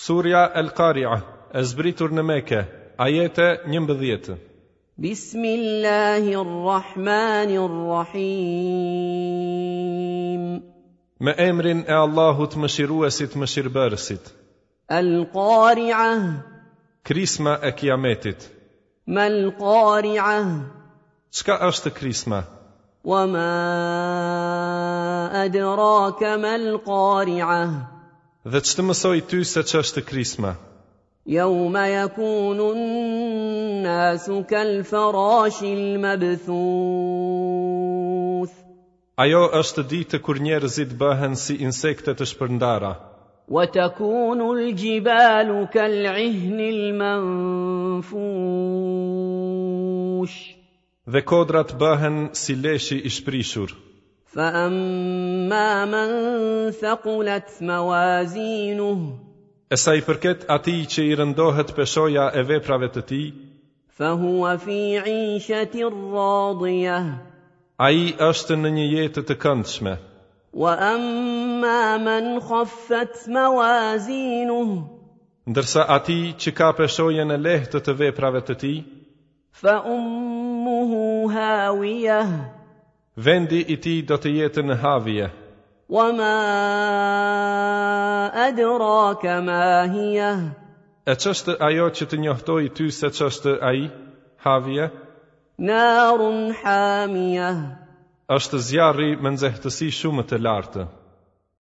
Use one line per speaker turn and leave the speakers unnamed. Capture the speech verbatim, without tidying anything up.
Surja El-Qari'ah, e zbritur në Mekë, ajete njëmbëdhjetë.
بسم الله الرحمن الرحيم.
Me emrin e Allahut Mëshiruesit Mëshirbërësit.
القارعة.
Krisma e Kiametit.
ما القارعة؟
Çka është krisma?
وما أدراك ما القارعة؟
Dhe ç'të mësoj ty se ç'është krisma?
يوم يكون الناس كالفراش المبثوث.
Ajo është ditë kur njerëzit bëhen si insekte të shpërndara.
وتكون الجبال كالعهن المنفوش.
Dhe kodrat bëhen si leshi i shprishur.
فأما من ثقلت موازينه
E sa i përket atij që i rëndohet peshoja e veprave të tij,
فهو في عيشة راضية.
Ai është në një jetë të këndshme.
وأما من خفت موازينه
Ndërsa atij që ka peshojen e lehtë të veprave të tij,
فأمه هاوية.
Vendi i tij do të jetë në Havije.
وما أدراك ما هي؟
E ç'është ajo që të njohtoi ty se ç'është ai, Havije?
نار حامية.
Është zjarri me nxehtësi shumë të lartë.